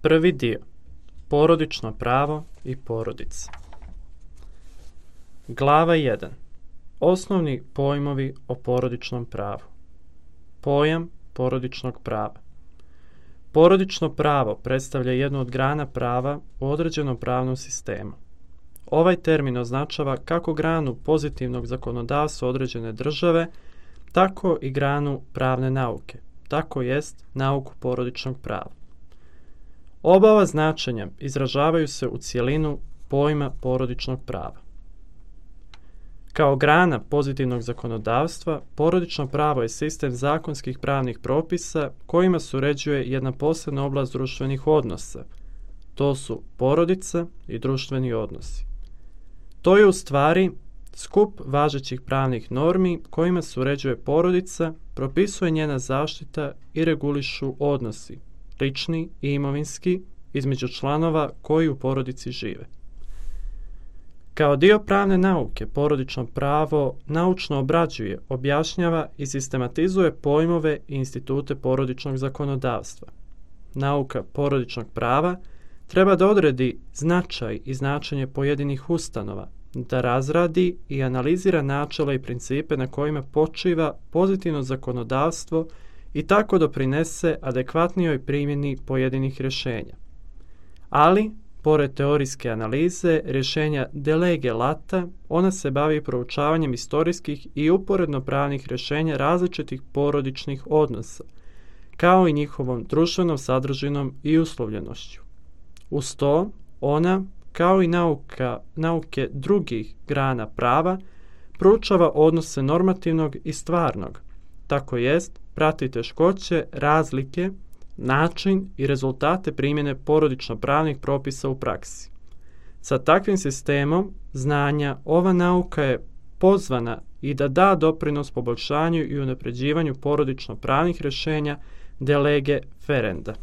Prvi dio. Porodično pravo i porodica. Glava 1. Osnovni pojmovi o porodičnom pravu. Pojam porodičnog prava. Porodično pravo predstavlja jednu od grana prava u određenom pravnom sistemu. Ovaj termin označava kako granu pozitivnog zakonodavstva određene države, tako i granu pravne nauke, tako jest nauku porodičnog prava. Oba ova značenja izražavaju se u cjelinu pojma porodičnog prava. Kao grana pozitivnog zakonodavstva, porodično pravo je sistem zakonskih pravnih propisa kojima se uređuje jedna posebna oblast društvenih odnosa. To su porodica i društveni odnosi. To je u stvari skup važećih pravnih normi kojima se uređuje porodica, propisuje njena zaštita i regulišu odnosi, lični i imovinski, između članova koji u porodici žive. Kao dio pravne nauke, porodično pravo naučno obrađuje, objašnjava i sistematizuje pojmove i institute porodičnog zakonodavstva. Nauka porodičnog prava treba da odredi značaj i značenje pojedinih ustanova, da razradi i analizira načela i principe na kojima počiva pozitivno zakonodavstvo i tako doprinese adekvatnijoj primjeni pojedinih rješenja. Ali, pored teorijske analize, rješenja de lege lata, ona se bavi proučavanjem istorijskih i uporedno pravnih rješenja različitih porodičnih odnosa, kao i njihovom društvenom sadržinom i uslovljenošću. Uz to, ona, kao i nauke drugih grana prava, proučava odnose normativnog i stvarnog, tako jest prati teškoće, razlike, način i rezultate primjene porodično-pravnih propisa u praksi. Sa takvim sistemom znanja ova nauka je pozvana i da da doprinos poboljšanju i unapređivanju porodično-pravnih rješenja de lege ferenda.